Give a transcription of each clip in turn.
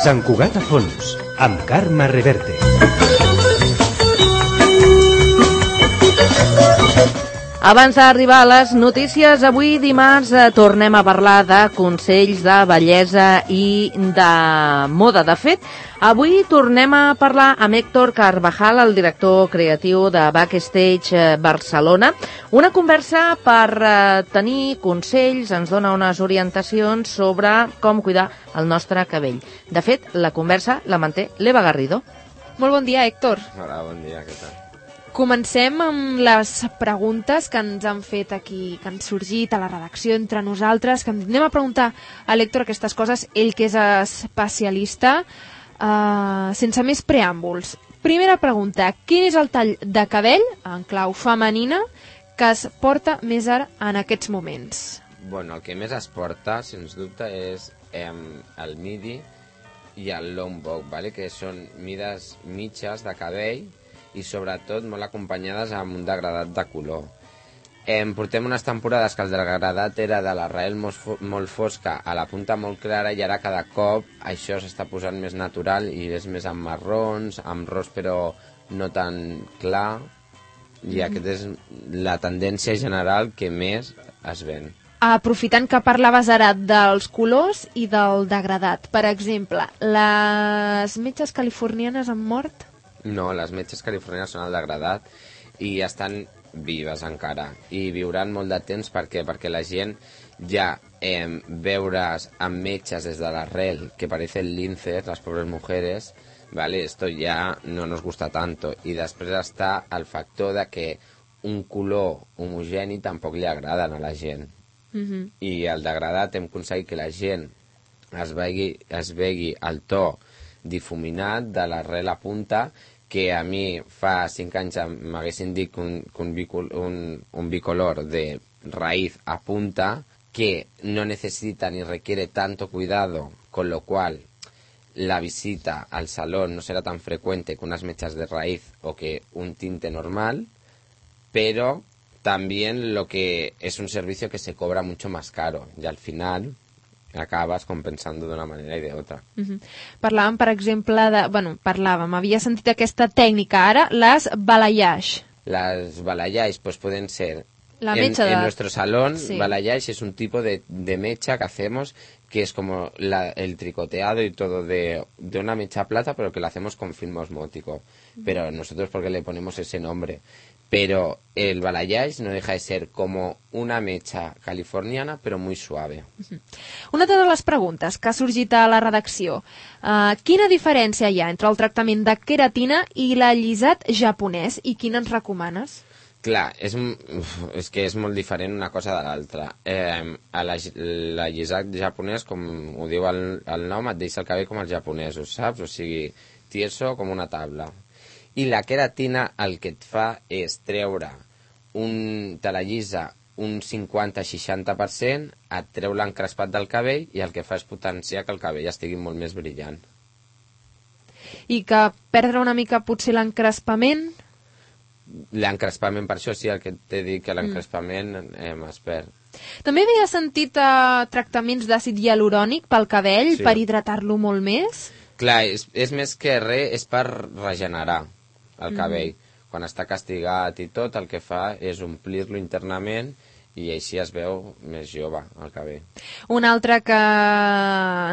Sant Cugat a fons, amb Carme Reverte. Abans d'arribar a les notícies, avui dimarts tornem a parlar de consells de bellesa i de moda. De fet, avui tornem a parlar amb Héctor Carvajal, el director creatiu de Backstage Barcelona. Una conversa per tenir consells, ens dona unes orientacions sobre com cuidar el nostre cabell. De fet, la conversa la manté l'Eva Garrido. Molt bon dia, Héctor. Hola, bon dia, què tal? Comencem amb les preguntes que ens han fet aquí, que han sorgit a la redacció entre nosaltres, que anem a preguntar a l'Héctor aquestes coses, ell que és especialista, sense més preàmbuls. Primera pregunta, quin és el tall de cabell, en clau femenina, que es porta més ara en aquests moments? Bueno, el que més es porta, sens dubte, és el midi i el long bob, ¿vale? Que són mides mitges de cabell, i sobretot molt acompanyades amb un degradat de color. Portem unes temporades que el degradat era de l'arrel molt fosca a la punta molt clara, i ara cada cop això s'està posant més natural i és més amb marrons, amb ros però no tan clar, i aquesta és la tendència general que més es ven. Aprofitant que parlaves ara dels colors i del degradat, per exemple, les metges californianes han mort? No, les metges californianes són el degradat i estan vives encara i viuran molt de temps. Per què? Perquè la gent ja veure's amb metges des de l'arrel que parecen linces, les pobres mujeres, ¿vale? Esto ya no nos gusta tanto. I després està el factor de que un color homogeni tampoc li agrada a la gent. I el degradat hem aconseguit que la gent es vegi el to difuminat de l'arrel a punta, que a mi fa 5 anys m'haguessin dit que un bicolor de raíz a punta, que no necesita ni requiere tanto cuidado, con lo cual la visita al salón no será tan frecuente que unas mechas de raíz o que un tinte normal, pero también lo que es un servicio que se cobra mucho más caro, y al final acabes compensant d'una manera i d'altra. Parlàvem, per exemple, havia sentit aquesta tècnica ara, les balayage. Les balayage pues pueden ser, en nuestro salón, sí. Balayage es un tipo de mecha que hacemos, que es como el tricoteado y todo de una mecha plata, pero que lo hacemos con film osmótico. Pero nosotros, porque le ponemos ese nombre? Pero el balayage no deja de ser como una mecha californiana, però muy suave. Una de les preguntes que ha sorgit a la redacció. Quina diferència hi ha entre el tractament de queratina i l'allisat japonès, i quin ens recomanes? Clar, és que és molt diferent una cosa de l'altra. L'allisat japonès, com ho diu el nom, et deixa el cabell com els japonesos, saps? O sigui, tieso com una taula. I la queratina el que et fa és treure te la llisa un 50-60%, et treu l'encrespat del cabell i el que fa és potenciar que el cabell estigui molt més brillant. I que perdre una mica potser l'encrespament? L'encrespament, per això sí, el que t'he dit, que l'encrespament es perd. També havia sentit tractaments d'àcid hialurònic pel cabell, sí, per hidratar-lo molt més? Clar, és més que res, és per regenerar el cabell. Quan està castigat i tot, el que fa és omplir-lo internament i així es veu més jove el cabell. Un altre que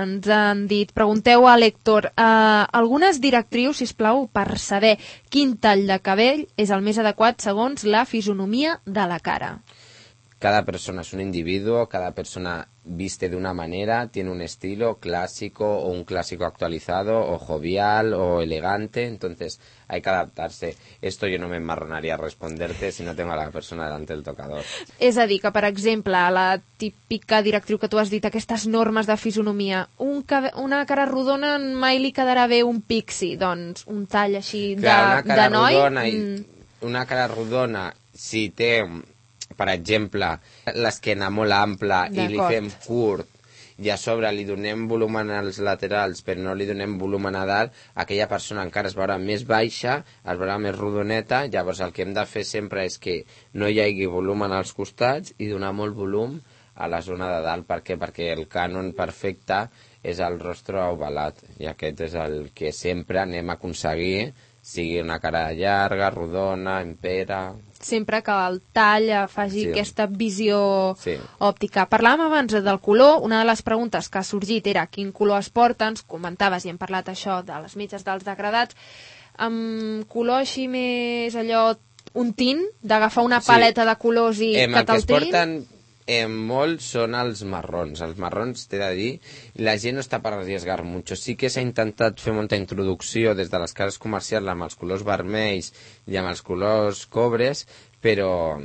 ens han dit, pregunteu a l'Héctor, algunes directrius, sisplau, per saber quin tall de cabell és el més adequat segons la fisonomia de la cara. Cada persona es un individuo, cada persona viste de una manera, tiene un estilo clásico o un clásico actualizado o jovial o elegante, entonces hay que adaptarse. Esto yo no me enmarronaría a responderte si no tengo a la persona delante del tocador. És a dir, que per exemple, la típica directriu que tu has dit, aquestes normes de fisonomia, una cara rodona mai li quedarà bé un pixi, doncs un tall així de noi... Una cara rodona, si té... Per exemple, l'esquena molt ampla i li fem curt i a sobre li donem volumen als laterals però no li donem volumen a dalt, aquella persona encara es veurà més baixa, es veurà més rodoneta. Llavors el que hem de fer sempre és que no hi hagi volumen als costats i donar molt volum a la zona de dalt. Per què? Perquè el cànon perfecte és el rostre ovalat, i aquest és el que sempre anem a aconseguir, sigui una cara llarga, rodona, empera... Sempre que el tall faci aquesta visió òptica. Parlàvem abans del color, una de les preguntes que ha sorgit era quin color es porta, ens comentaves i hem parlat això de les mitges dels degradats, amb color així més allò, un tint, d'agafar una paleta de colors i que te'l trin? Molt són els marrons. Els marrons, t'he de dir, la gent no està per arriesgar mucho. Sí que s'ha intentat fer molta introducció des de les cases comercials amb els colors vermells i amb els colors cobres, però...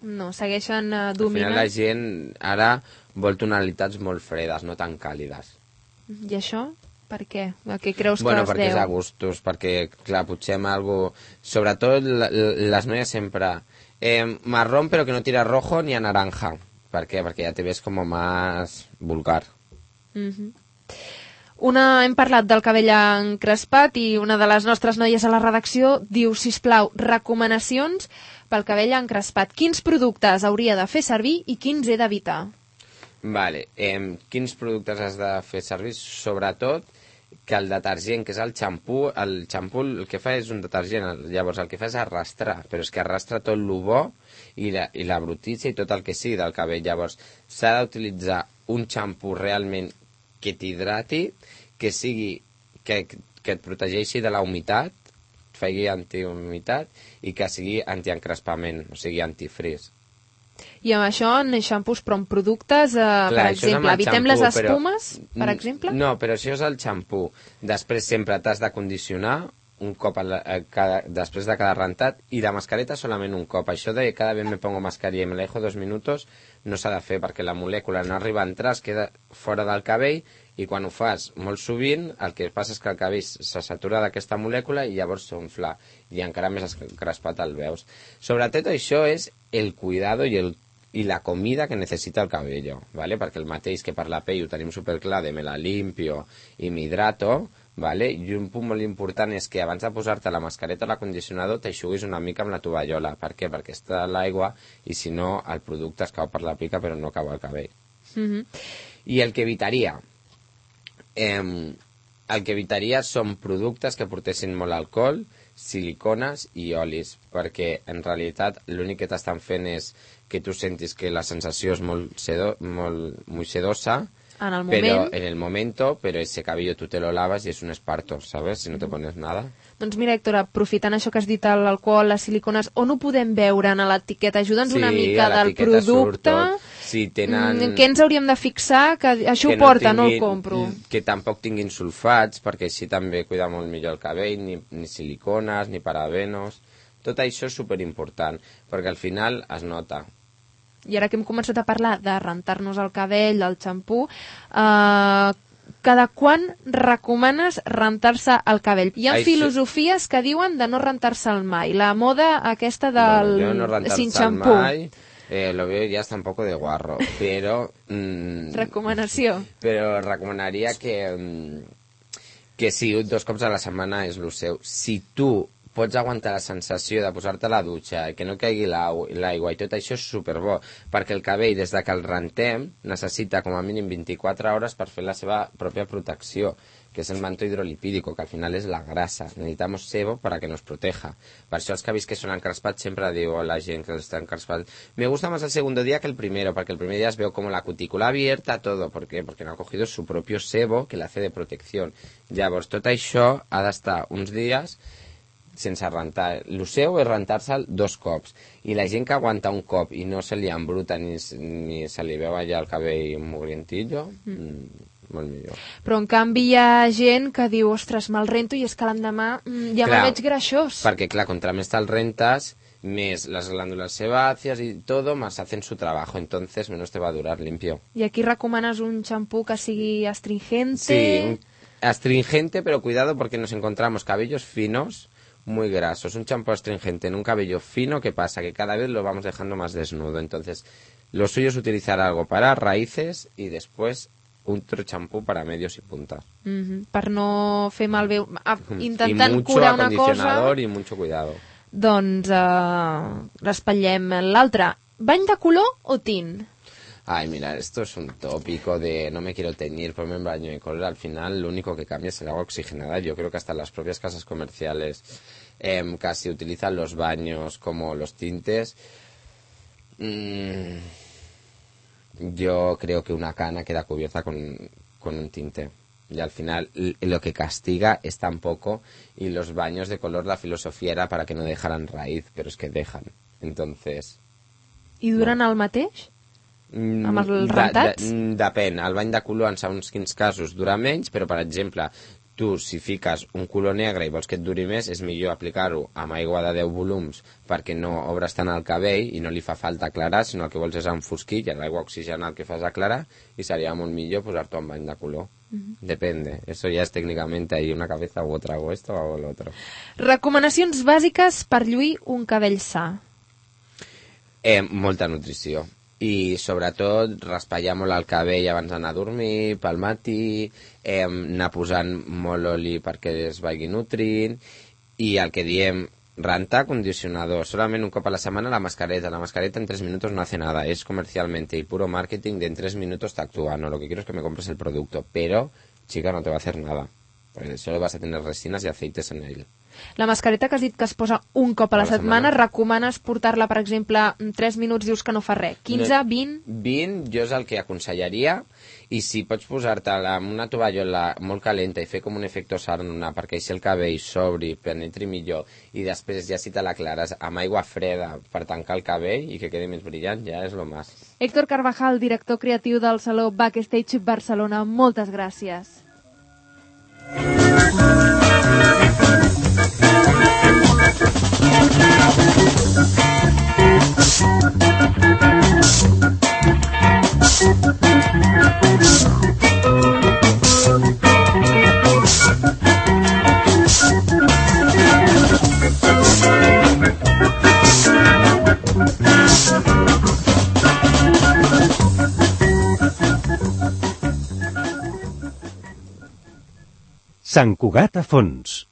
No, segueixen dominant. Al final la gent ara vol tonalitats molt fredes, no tan càlides. I això? Per què? A què creus que es perquè deu? És a gustos, perquè, clar, potser amb algo... Sobretot les noies sempre... marrón, però que no tira rojo ni a naranja. ¿Per què? Perquè ja te ves com més vulgar. Hem parlat del cabell encrespat i una de les nostres noies a la redacció diu, sisplau, recomanacions pel cabell encrespat. Quins productes hauria de fer servir i quins he d'evitar? Vale, quins productes has de fer servir? Sobretot que el detergent, que és el xampú el que fa és un detergent, llavors el que fa és arrastrar, però és que arrastra tot el bo i la brutícia i tot el que sigui del cabell. Llavors s'ha d'utilitzar un xampú realment que t'hidrati, que sigui que et protegeixi de la humitat, faci antihumitat i que sigui antiencrespament, o sigui antifrizz. I amb això en xampús, però en productes, per exemple, evitem les espumes, per exemple? No, però això és el xampú. Després sempre t'has de condicionar un cop després de cada rentat, i la mascareta solament un cop. Això de cada vez me pongo mascarilla y me la dejo 2 minutos no s'ha de fer, perquè la molècula no arriba a entrar, es queda fora del cabell, i quan ho fas molt sovint el que passa és que el cabell se satura d'aquesta molècula i llavors s'onfla i encara més encrespat el veus. Sobretot això és el cuidado i la comida que necessita el cabello, ¿vale? Perquè el mateix que per la pell ho tenim superclar de me la limpio i m'hidrato, ¿vale? I un punt molt important és que abans de posar-te la mascareta o l'acondicionador t'eixuguis una mica amb la tovallola. Per què? Perquè està l'aigua i si no el producte es cau per la pica però no cau al cabell. I el que evitaria són productes que portessin molt alcohol, silicones i olis, perquè en realitat l'únic que t'estan fent és que tu sentis que la sensació és molt sedosa, en el moment. Pero en el momento, pero ese cabello tú te lo lavas y es un esparto, ¿sabes? Si no te pones nada. Doncs mira, Héctor, aprofitant això que has dit, l'alcohol, les silicones, on ho podem veure en l'etiqueta? Ajuda'ns una mica del producte. Si tenen... Què ens hauríem de fixar? Que això ho porta, no el compro. Que tampoc tinguin sulfats, perquè així també cuida molt millor el cabell, ni silicones, ni parabenos. Tot això és superimportant, perquè al final es nota. I ara que hem començat a parlar de rentar-nos el cabell, del xampú, cada quan recomanes rentar-se el cabell? Hi ha filosofies que diuen de no rentar-se'l mai. La moda aquesta del sin xampú. Lo veo ya está un poco de guarro, pero... Recomanació. Però recomanaria que sí, 2 cops a la setmana és el seu. Si tu pots aguantar la sensació de posar-te a la dutxa, que no caigui l'aigua i tot això és superbo, perquè el cabell, des de que el rentem, necessita com a mínim 24 hores per fer la seva pròpia protecció, que és el manto hidrolipídico, que al final és la grasa. Necesitamos sebo para que nos proteja. Per això els cabells que són encrespats sempre diu a la gent que està encrespat, me gusta más el segundo día que el primero, porque el primer día es veo como la cutícula abierta, todo. ¿Por qué? Porque no ha cogido su propio sebo que le hace de protección. Llavors, tot això ha d'estar uns dies sense rentar. El seu és rentar-se'l 2 cops. I la gent que aguanta un cop i no se li embruta ni se li veu allà el cabell mugrientillo, molt millor. Però en canvi hi ha gent que diu, ostres, me'l rento i és que l'endemà ja me'l veig greixós. Perquè, clar, contra més te'l rentes, més las glándulas sebáceas y todo, más hacen su trabajo, entonces menos te va a durar limpio. I aquí recomanes un xampú que sigui astringente? Sí, astringente, pero cuidado porque nos encontramos cabellos finos muy grasos. Un champú astringente en un cabello fino, ¿qué pasa? Que cada vez lo vamos dejando más desnudo. Entonces, lo suyo es utilizar algo para raíces y después otro champú para medios y puntas. Per no fer malbé, intentant curar una cosa... I mucho acondicionador y mucho cuidado. Doncs l'espatllem. L'altre, bany de color o tint? ay, mira, esto es un tópico de no me quiero teñir, ponme un baño de color. Al final, lo único que cambia es el agua oxigenada. Yo creo que hasta las propias casas comerciales casi utilizan los baños como los tintes. Yo creo que una cana queda cubierta con un tinte. Y al final lo que castiga es tan poco, y los baños de color, la filosofía era para que no dejaran raíz, però és que dejan. Entonces... I duren el mateix? Amb els rentats? Depèn. El bany de color, en segons quins casos, dura menys, però, per exemple, tu, si fiques un color negre i vols que et duri més, és millor aplicar-ho amb aigua de 10 volums perquè no obres tant el cabell i no li fa falta aclarar, sinó el que vols és enfosquir, i l'aigua oxigenada el que fas aclarar, i seria molt millor posar-t'ho en bany de color. Depende. Eso ya es técnicamente ahí una cabeza u otra, o esto o lo otro. Recomanacions bàsiques per lluir un cabell sa. Molta nutrició. I sobretot raspallar molt el cabell abans d'anar a dormir, pel matí, anar posant molt oli perquè es vagi nutrint, i el que diem, rentar, condicionador, solament un cop a la setmana la mascareta en 3 minutos no hace nada, es comercialmente y puro marketing de en 3 minutos te actúa, no, lo que quiero es que me compres el producto, pero, chica, no te va a hacer nada, porque solo vas a tener resinas y aceites en él. La mascareta que has dit que es posa un cop a la setmana, recomanes portar-la, per exemple, en 3 minuts, dius que no fa res. 15, 20? 20 jo és el que aconsellaria, i si pots posar-te-la amb una tovallola molt calenta i fer com un efecte sauna perquè així el cabell s'obri, penetri millor, i després ja si te l'aclares amb aigua freda per tancar el cabell i que quedi més brillant, ja és lo más. Héctor Carvajal, director creatiu del Saló Backstage Barcelona, moltes gràcies. Sant Cugat a fons.